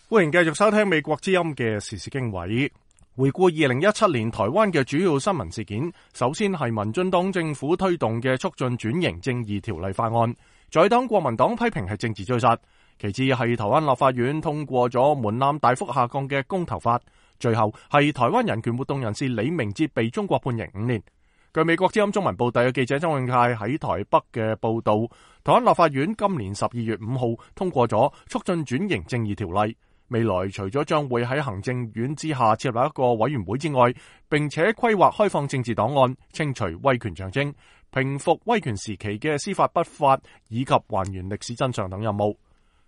歡迎繼續收聽美國之音嘅時事經緯。回顧2017年台灣嘅主要新聞事件，首先係民進黨政府推動嘅促進轉型正義條例法案，在黨國民黨批評係政治追殺。其次係台灣立法院通過咗門檻大幅下降嘅公投法，最後係台灣人權活動人士李明哲被中國判刑5年。據美國之音中文報道嘅記者曾永泰喺台北嘅報道，台灣立法院今年12月5號通過咗促進轉型正義條例。未來除咗將會喺行政院之下設立一個委員會之外，並且規劃開放政治檔案、清除威權象徵、平復威權時期嘅司法不法以及還原歷史真相等任務。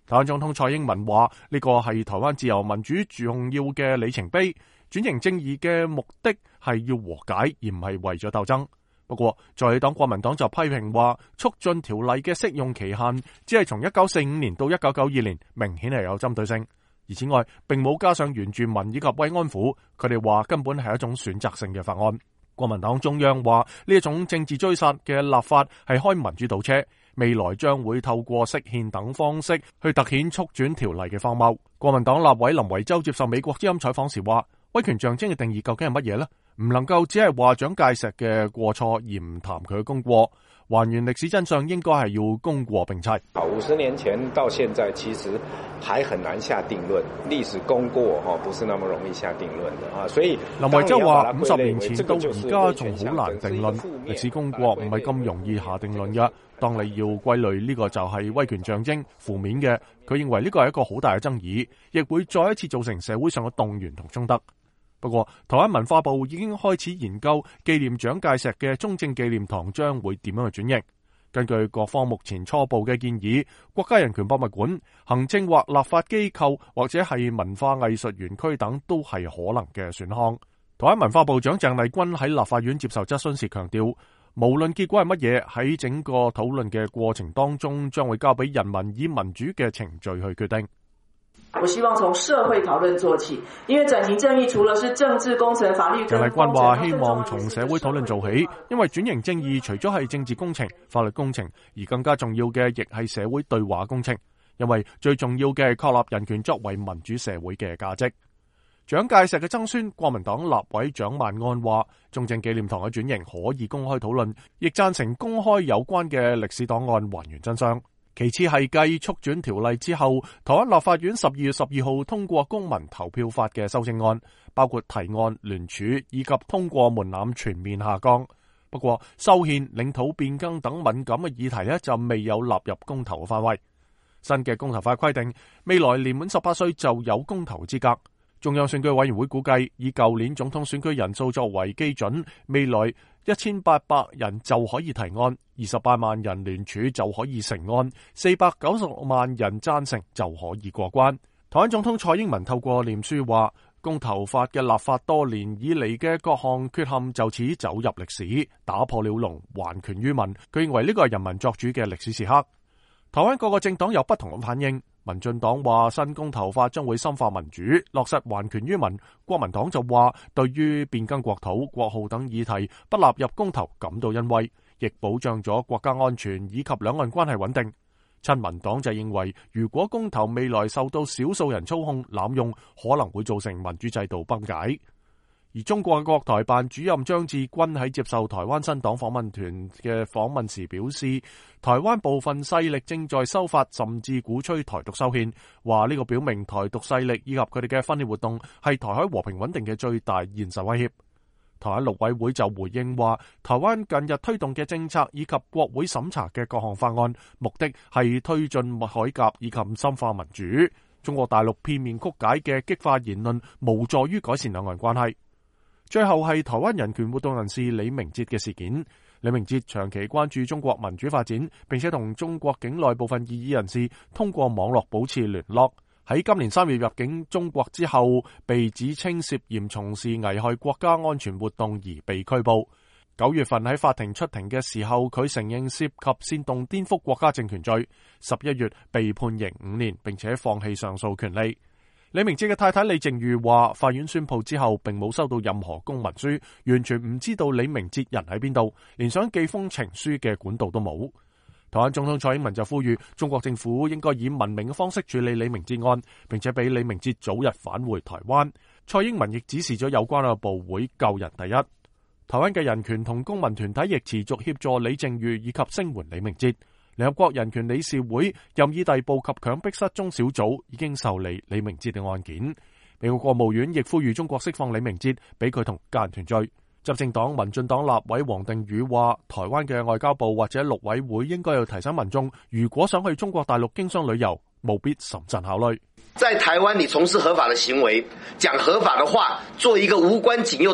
台灣總統蔡英文話：呢個係台灣自由民主重要嘅里程碑。轉型正義嘅目的係要和解，而唔係為咗鬥爭。不過，在黨國民黨就批評話，促進條例嘅適用期限只係從1945年到1992年，明顯係有針對性。而此外，並冇加上原住民以及慰安婦，佢哋話根本係一種選擇性嘅法案。國民黨中央話呢一種政治追殺嘅立法係開民主倒車，未來將會透過釋憲等方式去凸顯促轉條例嘅荒謬。國民黨立委林維洲接受美國之音採訪時話：威權象徵嘅定義究竟係乜嘢呢？唔能夠只係話蔣介石嘅過錯而唔談佢嘅功過。還原歷史真相應該係要功過並齊。50年前到現在，其實還很難下定論。歷史功過不是那麼容易下定論的啊。所以林維洲話：50年前到而家仲好難定論，歷史功過唔係咁容易下定論嘅。當你要歸類呢個就係威權象徵負面嘅，佢認為呢個係一個好大嘅爭議，亦會再一次造成社會上嘅動員同衝突。不過，台灣文化部已經開始研究紀念蔣介石嘅中正紀念堂將會點樣去轉型。根據各方目前初步嘅建議，國家人權博物館、行政或立法機構或者係文化藝術園區等都係可能嘅選項。台灣文化部長鄭麗君喺立法院接受質詢時強調，無論結果係乜嘢，喺整個討論嘅過程當中，將會交俾人民以民主嘅程序去決定。我希望從社會討論做起，因為轉型正義除了是政治工程、法律。鄭麗君話：希望從社會討論做起，因為轉型正義除咗係政治工程、法律工程，而更加重要嘅亦係社會對話工程。因為最重要嘅係確立人權作為民主社會嘅價值。蔣介石嘅曾孫國民黨立委蔣萬安話：中正紀念堂嘅轉型可以公開討論，亦贊成公開有關嘅歷史檔案，還原真相。其次係繼促轉條例之後，台灣立法院12月12號通過公民投票法嘅修正案，包括提案、聯署以及通過門檻全面下降。不過，修憲、領土變更等敏感嘅議題就未有納入公投嘅範圍。新嘅公投法規定，未來年滿18歲就有公投資格。中央選舉委員會估計，以舊年總統選舉人數作為基準，未來1800人就可以提案，28萬人聯署就可以成案，490萬人贊成就可以過關。台灣總統蔡英文透過臉書話，公投法嘅立法多年以嚟嘅各項缺陷就此走入歷史，打破了龍，還權於民。佢認為呢個係人民作主嘅歷史時刻。台灣各個政黨有不同嘅反應。民進黨話新公投法將會深化民主，落實還權於民。國民黨就話對於變更國土、國號等議題不納入公投感到欣慰，亦保障咗國家安全以及兩岸關係穩定。親民黨就認為，如果公投未來受到少數人操控濫用，可能會造成民主制度崩解。而中國國台辦主任張志軍喺接受台灣新黨訪問團嘅訪問時表示，台灣部分勢力正在修法，甚至鼓吹台獨修憲，話呢個表明台獨勢力以及佢哋嘅分裂活動係台海和平穩定嘅最大現實威脅。台灣陸委會就回應話，台灣近日推動嘅政策以及國會審查嘅各項法案，目的係推進改革以及深化民主。中國大陸片面曲解嘅激化言論，無助於改善兩岸關係。最後係台灣人權活動人士李明哲嘅事件。李明哲長期關注中國民主發展，並且同中國境內部分異議人士通過網絡保持聯絡。喺今年3月入境中國之後，被指稱涉嫌從事危害國家安全活動而被拘捕。9月份喺法庭出庭嘅時候，佢承認涉及煽動顛覆國家政權罪。11月被判刑5年，並且放棄上訴權利。李明哲嘅太太李靜瑜話，法院宣布之後並冇收到任何公文書，完全唔知道李明哲人喺邊度，連想寄封情書嘅管道都冇。台灣總統蔡英文就呼籲中國政府應該以文明嘅方式處理李明哲案，並且俾李明哲早日返回台灣。蔡英文亦指示咗有關嘅部會救人第一。台灣嘅人權同公民團體亦持續協助李淨瑜以及聲援李明哲。聯合國人權理事會任意逮捕及強迫失蹤小組已經受理李明哲嘅案件。美國國務院亦呼籲中國釋放李明哲，俾佢同家人團聚。執政黨民進黨立委黃定宇話，台灣嘅外交部或者陸委會應該要提醒民眾，如果想去中國大陸經商旅遊，務必審慎考慮。在台灣，你從事合法的行為，講合法的話，做一個無關緊要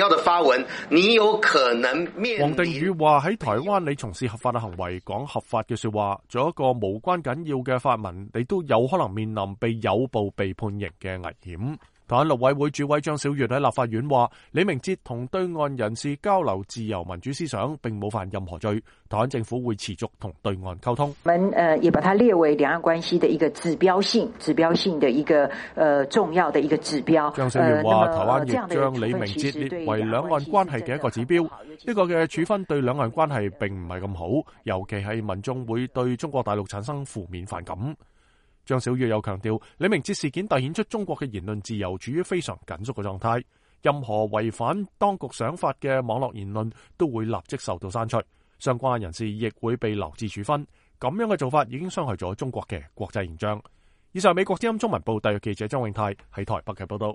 的發文，你有可能面臨。黃定宇話喺台灣，你從事合法嘅行為，講合法嘅說話，做一個無關緊要嘅發文，你都有可能面臨被誘捕、被判刑嘅危險。台灣陸委會主委張曉月喺立法院話，李明哲同對岸人士交流自由民主思想，並冇犯任何罪。台灣政府會持續同對岸溝通。我們也把它列為兩岸關係的一個指標性的一個重要的一個指標。張曉月話，台灣亦將李明哲列為兩岸關係嘅一個指標。呢個嘅處分對兩岸關係並唔係咁好，尤其係民眾會對中國大陸產生負面反感。張曉月又強調，李明哲事件凸顯出中國嘅言論自由處於非常緊縮嘅狀態，任何違反當局想法嘅網絡言論都會立即受到刪除，相關人士亦會被留置處分。咁樣嘅做法已經傷害咗中國嘅國際形象。以上美國之音中文部特約記者張永泰喺台北嘅報道。